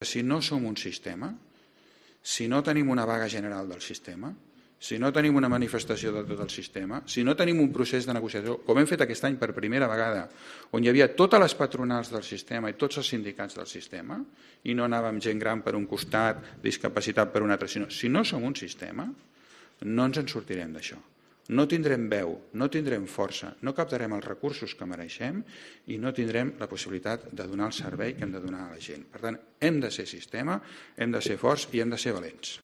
Si no som un sistema, si no tenim una vaga general del sistema, si no tenim una manifestació de tot el sistema, si no tenim un procés de negociació, com hem fet aquest any per primera vegada, on hi havia totes les patronals del sistema i tots els sindicats del sistema, i no anàvem gent gran per un costat, discapacitat per un altre, sinó si no som un sistema, no ens en sortirem d'això. No tindrem veu, no tindrem força, no captarem els recursos que mereixem i no tindrem la possibilitat de donar el servei que hem de donar a la gent. Per tant, hem de ser sistema, hem de ser forts i hem de ser valents.